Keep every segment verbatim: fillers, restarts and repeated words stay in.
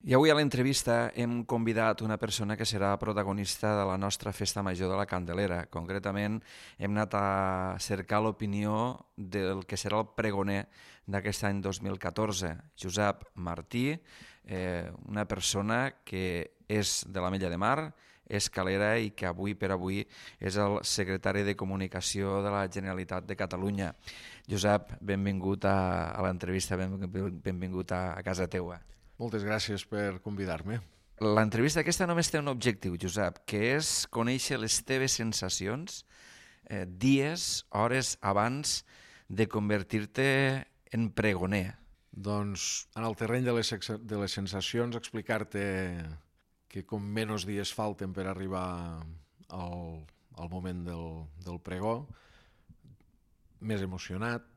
I avui a l'entrevista hem convidat una persona que serà protagonista de la nostra festa major de la Candelera. Concretament, hem anat a cercar l'opinió del que serà el pregoner d'aquest any dos mil catorze, Josep Martí, eh, una persona que és de l'Ametlla de Mar, és calera i que avui per avui és el secretari de Comunicació de la Generalitat de Catalunya. Josep, benvingut a, a l'entrevista, ben, benvingut a, a casa teua. Moltes gràcies per convidar-me. L'entrevista aquesta només té un objectiu, Josep, que és conèixer les teves sensacions eh, dies, hores abans de convertir-te en pregoner. Doncs en el terreny de les, de les sensacions explicar-te que com menys dies falten per arribar al, al moment del, del pregó, més emocionat,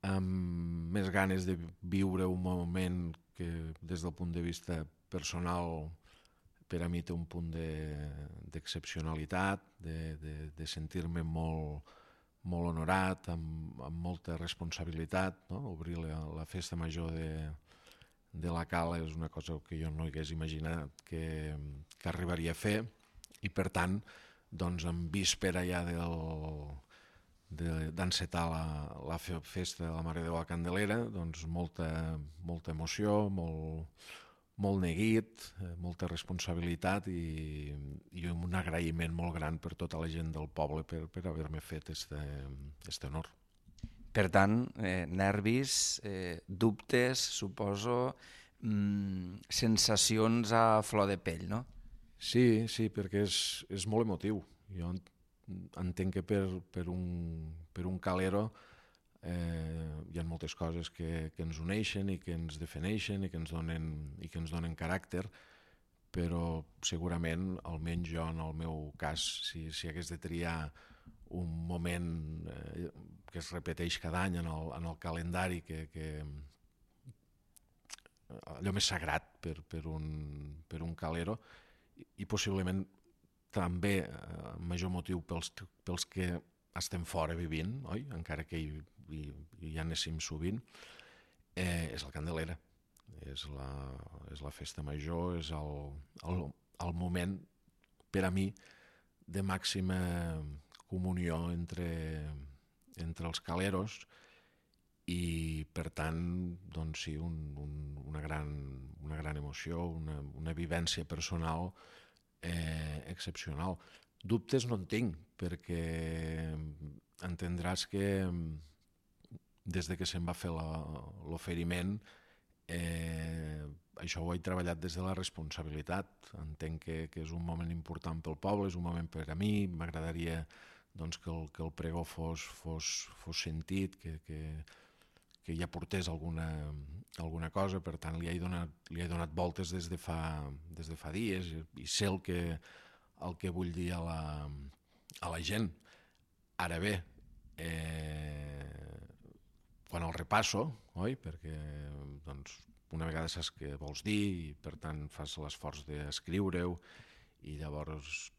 amb més ganes de viure un moment que des del punt de vista personal per a mi té un punt d'excepcionalitat, de, de, de sentir-me molt, molt honorat, amb, amb molta responsabilitat. No? Obrir la, la festa major de, de la Cala és una cosa que jo no hagués imaginat que, que arribaria a fer i per tant, doncs, en víspera ja del... d'encetar la, la festa de la Mare de Déu a la Candelera, doncs molta, molta emoció, molt, molt neguit, molta responsabilitat i, i un agraïment molt gran per tota la gent del poble per, per haver-me fet aquest honor. Per tant, eh, nervis, eh, dubtes, suposo, mmm, sensacions a flor de pell, no? Sí, sí, perquè és, és molt emotiu. Jo entenc que per, per, un, per un calero eh, hi ha moltes coses que, que ens uneixen i que ens defineixen i que ens donen, i que ens donen caràcter, però segurament, almenys jo en el meu cas, si, si hagués de triar un moment eh, que es repeteix cada any en el, en el calendari, que, que allò més sagrat per, per, un, per un calero, i, i possiblement també eh, major motiu pels, pels que estem fora vivint, oi? Encara que hi, hi, hi anéssim sovint, eh, és la Candelera, és la, és la festa major, és el, el, el moment per a mi de màxima comunió entre, entre els caleros i per tant doncs sí, un, un, una, gran, una gran emoció, una, una vivència personal Eh, excepcional. Dubtes no en tinc, perquè entendràs que des de que se'm va fer l'oferiment eh, això ho he treballat des de la responsabilitat. Entenc que, que és un moment important pel poble, és un moment per a mi, m'agradaria doncs, que, el, que el pregó fos, fos, fos sentit, que, que, que ja portés alguna, alguna cosa, per tant li he donat, li he donat voltes des de fa, des de fa dies i, i sé el que, el que vull dir a la, a la gent. Ara bé, eh, quan el repasso, oi? Perquè doncs, una vegada saps què vols dir i per tant fas l'esforç d'escriure-ho i llavors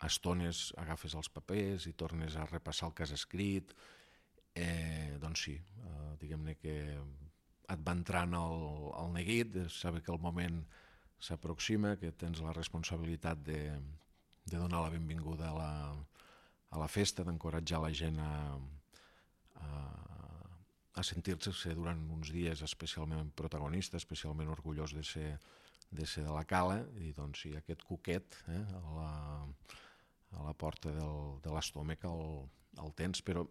a estones agafes els papers i tornes a repassar el que has escrit. Eh, doncs sí, eh, diguem-ne que et va entrant el, el neguit, de saber que el moment s'aproxima, que tens la responsabilitat de, de donar la benvinguda a la, a la festa, d'encoratjar la gent a, a, a sentir-se durant uns dies especialment protagonista, especialment orgullós de ser de, ser de la Cala, i doncs sí, aquest cuquet eh, a, la, a la porta del, de l'estómac el, el tens, però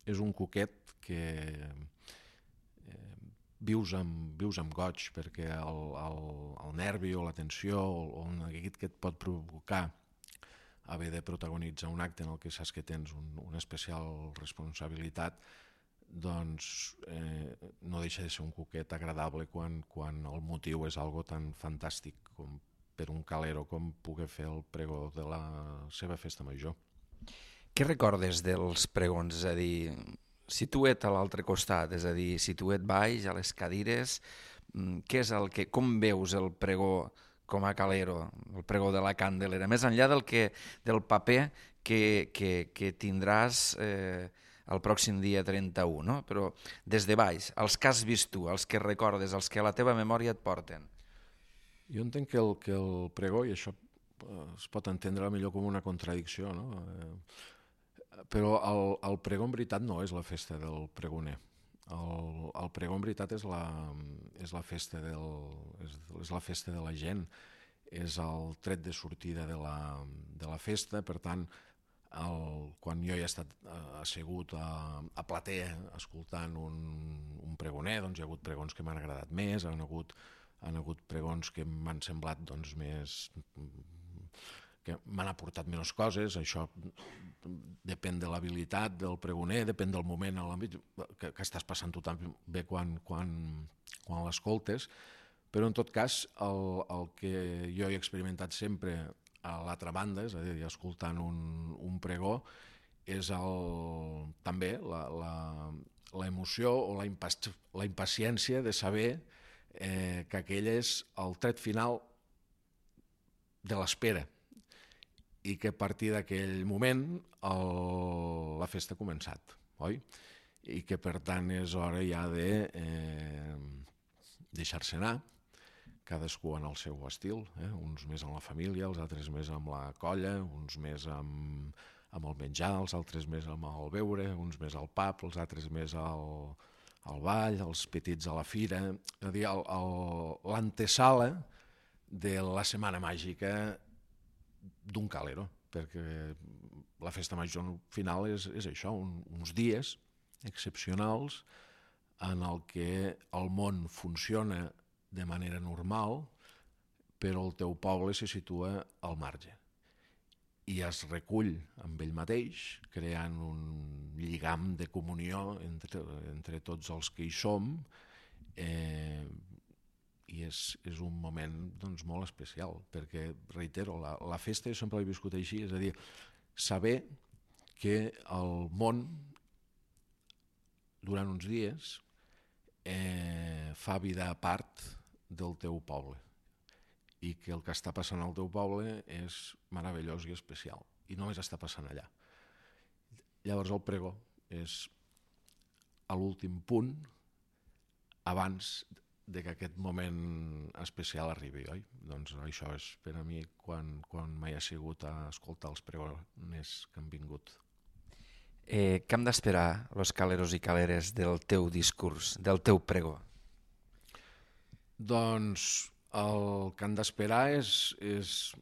és un cuquet que eh, vius, amb, vius amb goig, perquè el, el, el nervi o la tensió o el neguit que et pot provocar haver de protagonitzar un acte en el que saps que tens un, una especial responsabilitat, doncs eh, no deixa de ser un cuquet agradable quan, quan el motiu és algo tan fantàstic com per un calero com poder fer el pregó de la seva festa major. Què recordes dels pregons? És a dir, situa't a l'altre costat, és a dir, situa't baix, a les cadires, què és el que, com veus el pregó com a calero, el pregó de la Candelera, més enllà del, que, del paper que, que, que tindràs eh, el pròxim dia trenta-u, no? Però des de baix, els que has vist tu, els que recordes, els que a la teva memòria et porten. Jo entenc que el, que el pregó, i això es pot entendre millor com una contradicció, no? Eh, però el, el pregó en veritat no és la festa del pregoner. El, el pregó en veritat és la, és la festa del, és, és la festa de la gent, és el tret de sortida de la, de la festa. Per tant, el, quan jo he estat assegut a, a platea escoltant un, un pregoner, doncs hi ha hagut pregons que m'han agradat més, han hagut, han hagut pregons que m'han semblat doncs, més, que m'han aportat menys coses. Això depèn de l'habilitat del pregoner, depèn del moment en l'àmbit que, que estàs passant tu també quan, quan, quan l'escoltes. Però en tot cas, el, el que jo he experimentat sempre a l'altra banda, és a dir, escoltant un, un pregó, és el, també la, la, l'emoció o la, impas, la impaciència de saber eh, que aquell és el tret final de l'espera i que a partir d'aquell moment el, la festa ha començat, oi? I que per tant és hora ja de eh, deixar-se anar, cadascú en el seu estil, eh? Uns més amb la família, els altres més amb la colla, uns més amb, amb el menjar, els altres més amb el beure, uns més al pub, els altres més al, al ball, els petits a la fira, és a dir, l'antesala de la setmana màgica d'un calero, perquè la festa major final és, és això, un, uns dies excepcionals en el que el món funciona de manera normal, però el teu poble se situa al marge i es recull amb ell mateix, creant un lligam de comunió entre, entre tots els que hi som, eh, i és, és un moment doncs, molt especial, perquè, reitero, la, la festa jo sempre l'he viscut així, és a dir, saber que el món durant uns dies eh, fa vida a part del teu poble i que el que està passant al teu poble és meravellós i especial i només està passant allà. Llavors el pregó és a l'últim punt abans de que aquest moment especial arribi, oi? Doncs això és per a mi quan, quan m'he assegut a escoltar els pregoners que han vingut. Eh, què hem d'esperar, los caleros i caleres, del teu discurs, del teu pregó? Doncs el que han d'esperar és, és...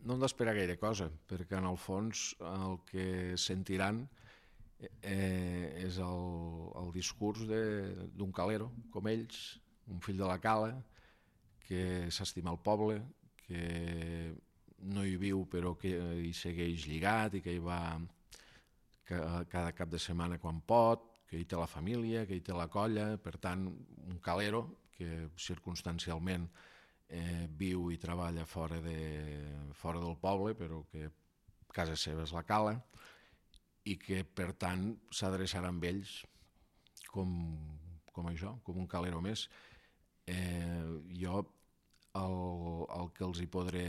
no han d'esperar gaire cosa, perquè en el fons el que sentiran eh, és el, el discurs d'un calero, com ells, un fill de la cala, que s'estima el poble, que no hi viu però que hi segueix lligat i que hi va cada cap de setmana quan pot, que hi té la família, que hi té la colla, per tant, un calero que circumstancialment eh, viu i treballa fora, de, fora del poble, però que casa seva és la cala, i que, per tant, s'adreçarà amb ells com, com això, com un calero més. Eh, jo el, el que els hi podré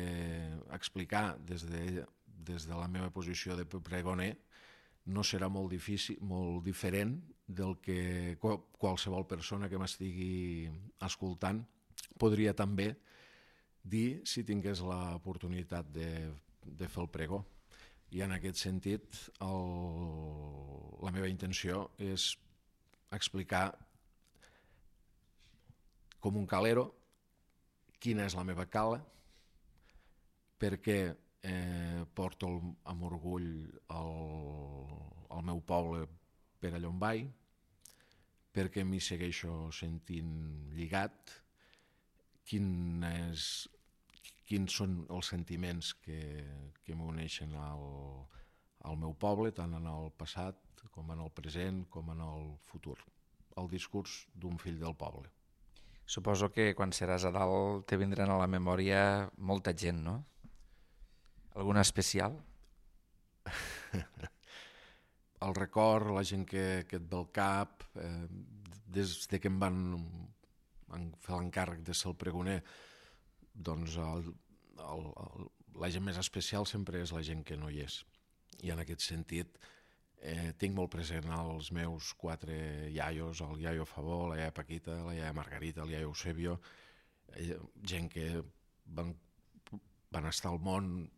explicar des de, des de la meva posició de pregoner no serà molt difícil, molt diferent del que qualsevol persona que m'estigui escoltant podria també dir si tingués l'oportunitat de, de fer el pregó. I en aquest sentit el, la meva intenció és explicar com un calero quina és la meva cala, per què eh, porto el, amb orgull el, el meu poble per allà on vaig, perquè m'hi segueixo sentint lligat, quin és, quins són els sentiments que, que m'uneixen al, al meu poble, tant en el passat com en el present com en el futur. El discurs d'un fill del poble. Suposo que quan seràs a dalt te vindran a la memòria molta gent, no? Alguna especial? El record, la gent que, que et ve al cap, eh, des de que em van, van fer l'encàrrec de ser el pregoner, doncs el, el, el, la gent més especial sempre és la gent que no hi és. I en aquest sentit eh, tinc molt present els meus quatre iaios, el iaio Favó, la iaia Paquita, la iaia Margarita, el iaio Eusebio, gent que van, van estar al món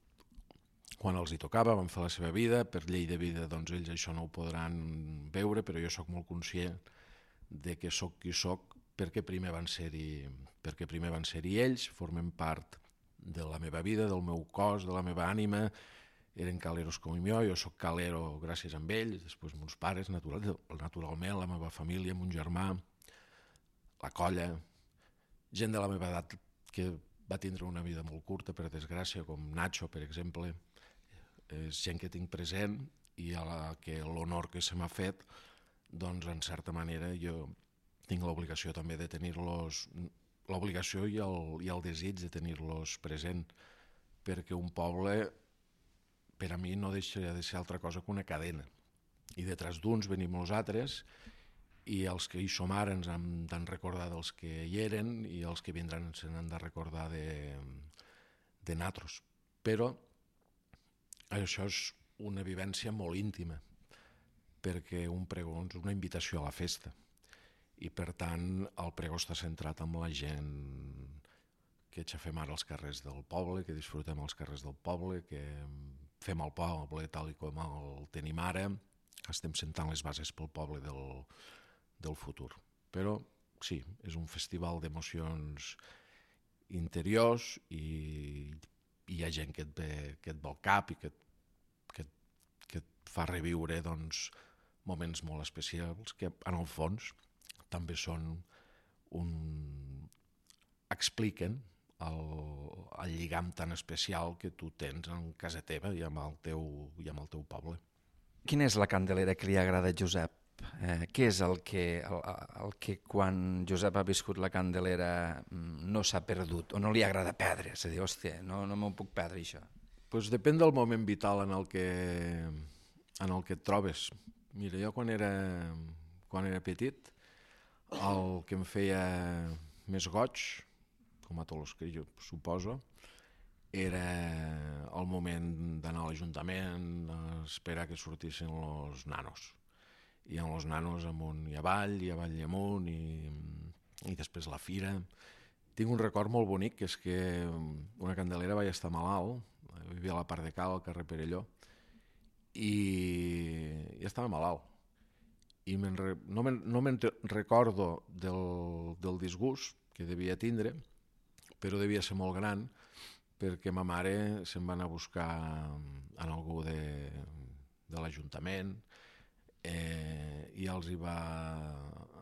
quan els hi tocava, van fer la seva vida, per llei de vida doncs ells això no ho podran veure, però jo sóc molt conscient de que sóc qui sóc perquè primer van ser-hi perquè primer van ser-hi ells, formen part de la meva vida, del meu cos, de la meva ànima, eren caleros com jo, jo sóc calero gràcies a ells, després meus pares, natural, naturalment, la meva família, mon germà, la colla, gent de la meva edat que va tindre una vida molt curta, per desgràcia, com Nacho, per exemple, és gent que tinc present i a la que l'honor que se m'ha fet, doncs en certa manera jo tinc l'obligació també de tenir-los, l'obligació i el, i el desig de tenir-los present, perquè un poble per a mi no deixa de ser altra cosa que una cadena, i detrás d'uns venim els altres, i els que hi som ara ens han de recordar dels que hi eren i els que vindran se n'han de recordar de, de natros. Però això és una vivència molt íntima, perquè un pregó és una invitació a la festa i per tant el pregó està centrat en la gent que aixafem ara als carrers del poble, que disfrutem als carrers del poble, que fem el poble tal i com el tenim ara, estem sentant les bases pel poble del, del futur. Però sí, és un festival d'emocions interiors i, i hi ha gent que et ve, que et ve al cap i que, que, que et fa reviure doncs, moments molt especials que en el fons també són un... expliquen el, el lligam tan especial que tu tens en casa teva i amb el teu, i amb el teu poble. Quina és la Candelera que li agrada a Josep? Eh, què és el que, el, el que quan Josep ha viscut la Candelera no s'ha perdut o no li agrada perdre? És a dir, hòstia, no, no m'ho puc perdre, això. Pues depèn del moment vital en el que, en el que et trobes. Mira, jo quan era, quan era petit, el que em feia més goig, com a tots els que jo suposo, era el moment d'anar a l'Ajuntament a esperar que sortissin els nanos. I amb els nanos amunt i avall, i avall i amunt, i, i després la fira. Tinc un record molt bonic, que és que una Candelera vaig estar malalt, vivia a la part de Cal, al carrer Perelló, i, i estava malalt. I re, no me'n no me recordo del, del disgust que devia tindre, però devia ser molt gran, perquè ma mare se'n va anar a buscar en algú de, de l'Ajuntament eh, i els hi va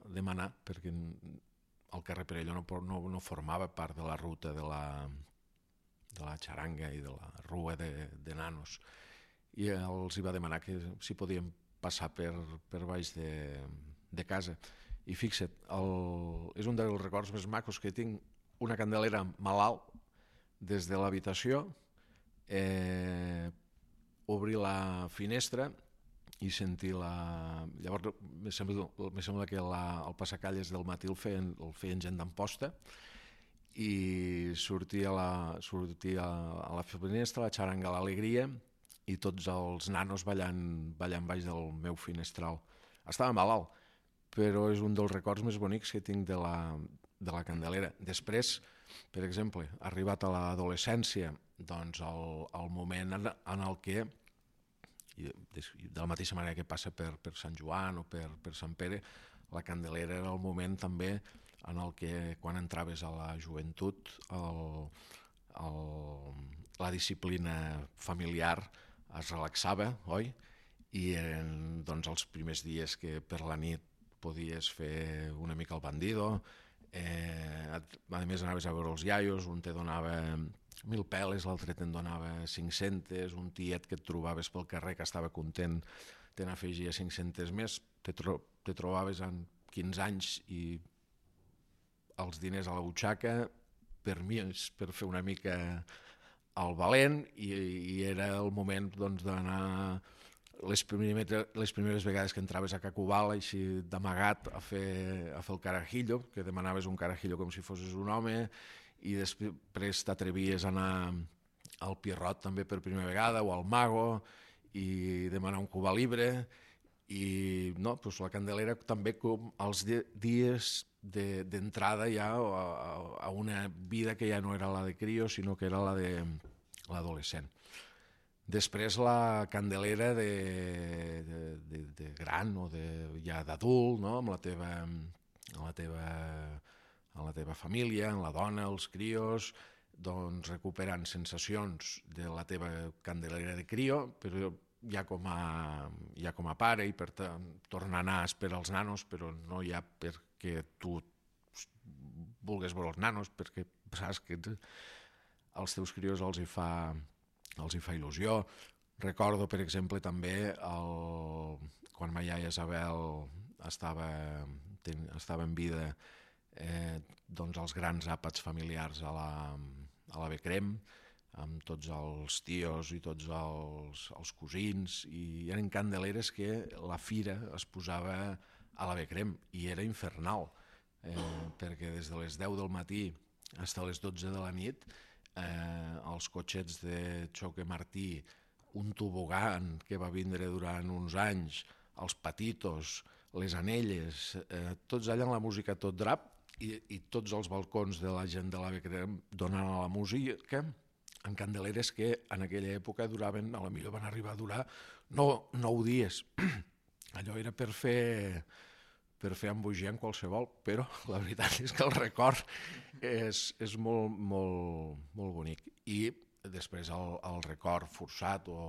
demanar, perquè el carrer Perelló no, no, no formava part de la ruta de la, de la xaranga i de la rua de, de nanos, i els hi va demanar que si podien passar per, per baix de, de casa. I fixa't, el, és un dels records més macos que tinc, una Candelera malalt des de l'habitació, eh, obrir la finestra i sentir la... Llavors, me sembla, me sembla que la, el passacalles del matí el feien, el feien gent d'Amposta, i sortir a la, sortir a, a la finestra, la xaranga a l'alegria, i tots els nanos ballant, ballant baix del meu finestral. Estava malalt, però és un dels records més bonics que tinc de la, de la Candelera. Després, per exemple, arribat a l'adolescència, doncs el, el moment en, en el que, de la mateixa manera que passa per, per Sant Joan o per, per Sant Pere, la Candelera era el moment també en el que quan entraves a la joventut el, el, la disciplina familiar es relaxava, oi? I eren doncs, els primers dies que per la nit podies fer una mica el bandido, eh, a més anaves a veure els iaios, un te donava mil peles, l'altre te'n donava cinc-centes, un tiet que et trobaves pel carrer que estava content te n'afegia cinc-centes més, te, tro te trobaves en quinze anys i els diners a la butxaca, per mi, per fer una mica el valent, i, i era el moment doncs, d'anar les, primer, les primeres vegades que entraves a Cacubal, així d'amagat a fer, a fer el carajillo, que demanaves un carajillo com si fossis un home, i després t'atrevies a anar al Pierrot també per primera vegada, o al Mago, i demanar un Cuba Libre, i no, doncs la Candelera també com els dies d'entrada ja a, a una vida que ja no era la de crio, sinó que era la de l'adolescent. Després la Candelera de, de, de, de gran o de, ja d'adult, no? amb la teva, amb la teva, amb la teva família, amb la dona, els crios, doncs recuperant sensacions de la teva Candelera de crio, però ja com a, ja com a pare, i per tant tornar a anar per als nanos, però no ja perquè tu vulguis veure els nanos, perquè saps que als teus crios els hi fa, els hi fa il·lusió. Recordo, per exemple, també el, quan ma iaia Isabel estava, ten, estava en vida, eh, doncs els grans àpats familiars a la, a la Becrem, amb tots els tios i tots els, els cosins, i eren candeleres que la fira es posava a la Becrem, i era infernal, eh, perquè des de les deu del matí fins a les dotze de la nit eh, els cotxets de Choque Martí, un tobogan que va vindre durant uns anys, els patitos, les anelles, eh, tots allà amb la música tot drap, i, i tots els balcons de la gent de la Becrem donant a la música, en candeleres que en aquella època duraven, a la millor van arribar a durar no, nou dies. Allò era per fer, per fer embogiar en qualsevol, però la veritat és que el record és, és molt, molt, molt bonic. I després el, el record forçat o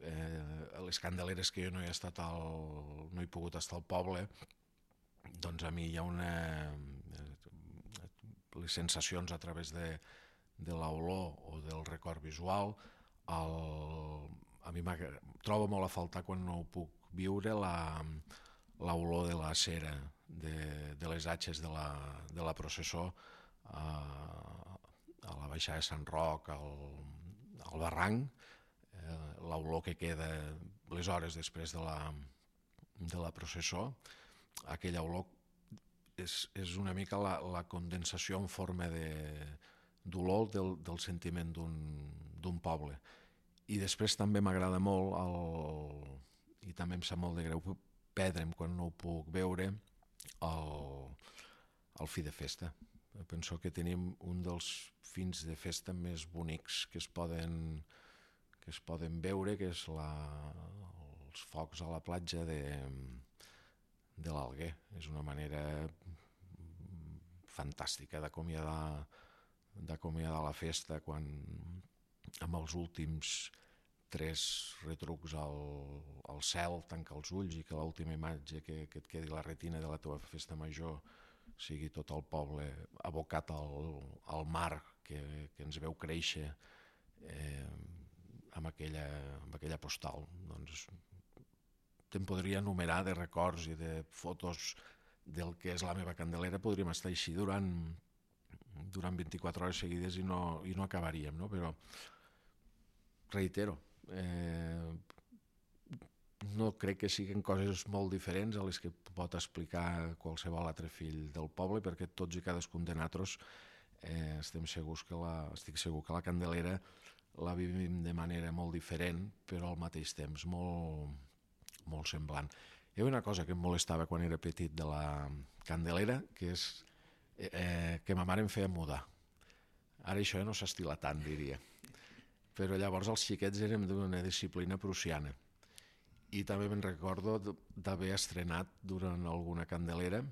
eh, les candeleres que jo no he estat al, no he pogut estar al poble, doncs a mi hi ha una... les sensacions a través de de l'olor o del record visual, el, a mi trobo molt a faltar quan no ho puc viure l'olor de la cera, de, de les atxes de la, de la processó a, a la baixada de Sant Roc, al, al barranc, eh, l'olor que queda les hores després de la, de la processó, aquella olor és, és una mica la, la condensació en forma de d'olor del, del sentiment d'un poble. I després també m'agrada molt, el, i també em sap molt de greu perdre'm quan no ho puc veure, el, el fi de festa. Penso que tenim un dels fins de festa més bonics que es poden, que es poden veure, que és la, els focs a la platja de, de l'Alguer. És una manera fantàstica d'acomiadar d'acomiadar la festa quan amb els últims tres retrucs al, al cel tanca els ulls i que l'última imatge que, que et quedi la retina de la teva festa major sigui tot el poble abocat al, al mar que, que ens veu créixer eh, amb, aquella, amb aquella postal. Doncs te'n podria enumerar de records i de fotos del que és la meva Candelera, podríem estar així durant durant vint-i-quatre hores seguides i no, i no acabaríem, no? Però reitero, eh, no crec que siguin coses molt diferents a les que pot explicar qualsevol altre fill del poble, perquè tots i cadascun de nosaltres eh, estem segurs que la, estic segur que la Candelera la vivim de manera molt diferent, però al mateix temps molt, molt semblant. Hi ha una cosa que em molestava quan era petit de la Candelera, que és Eh, que ma mare em feia mudar. Ara això ja no s'estila tant, diria. Però llavors els xiquets érem d'una disciplina prussiana. I també me'n recordo d'haver estrenat durant alguna Candelera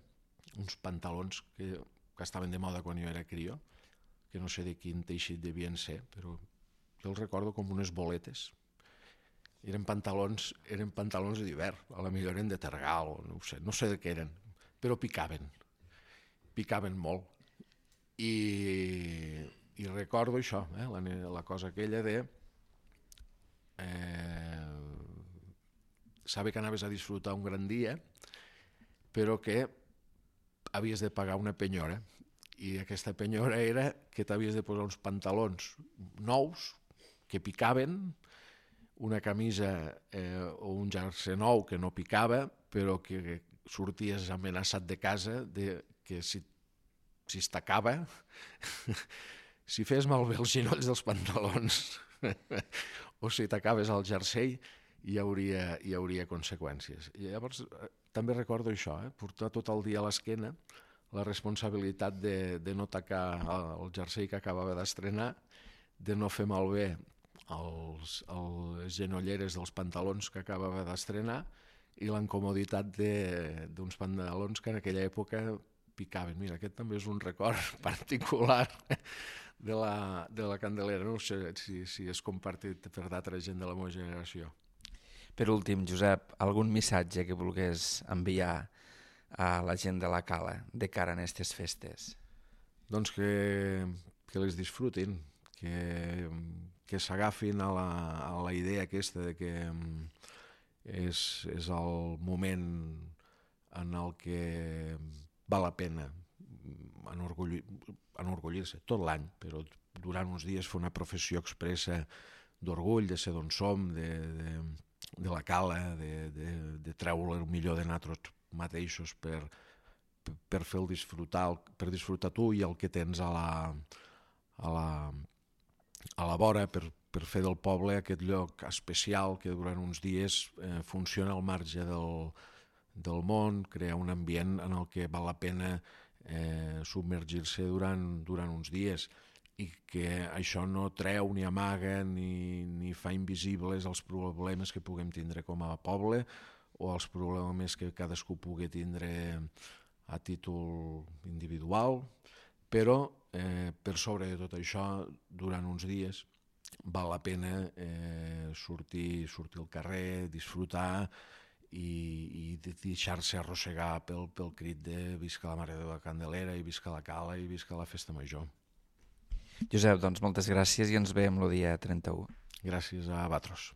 uns pantalons que, que estaven de moda quan jo era crio, que no sé de quin teixit devien ser, però jo els recordo com unes boletes. Eren pantalons, eren pantalons d'hivern, a la millor eren de tergal, no sé, no sé de què eren, però picaven. picaven molt i, i recordo això, eh, la, la cosa aquella de eh, saber que anaves a disfrutar un gran dia però que havies de pagar una penyora i aquesta penyora era que t'havies de posar uns pantalons nous que picaven, una camisa eh, o un jersei nou que no picava però que sorties amenaçat de casa de que si, si es tacava, si fes malbé els ginolls dels pantalons o si tacaves el jersei, hi hauria, hi hauria conseqüències. I llavors també recordo això, eh? Portar tot el dia a l'esquena la responsabilitat de, de no tacar el jersei que acabava d'estrenar, de no fer malbé els, les genolleres dels pantalons que acabava d'estrenar i l'incomoditat d'uns pantalons que en aquella època picaven. Mira, aquest també és un record particular de la, de la Candelera. No sé si, si és compartit per d'altra gent de la meva generació. Per últim, Josep, algun missatge que volgués enviar a la gent de la Cala de cara a aquestes festes? Doncs que, que les disfrutin, que, que s'agafin a, la, a la idea aquesta de que és, és el moment en el que val la pena enorgullir, enorgullir-se tot l'any, però durant uns dies fer una professió expressa d'orgull, de ser d'on som, de, de, de la Cala, de, de, de treure el millor de nosaltres mateixos per, per fer-el disfrutar, per disfrutar tu i el que tens a la, a la, a la vora, per, per fer del poble aquest lloc especial que durant uns dies eh, funciona al marge del, del món, crear un ambient en el que val la pena eh, submergir-se durant, durant uns dies i que això no treu ni amaga ni, ni fa invisibles els problemes que puguem tindre com a poble o els problemes que cadascú pugui tindre a títol individual, però eh, per sobre de tot això, durant uns dies, val la pena eh, sortir, sortir al carrer, disfrutar i, i deixar-se arrossegar pel, pel crit de visca la Mare de la Candelera i visca la Cala i visca la Festa Major. Josep, doncs moltes gràcies i ens veiem el dia trenta-u. Gràcies a vosaltres.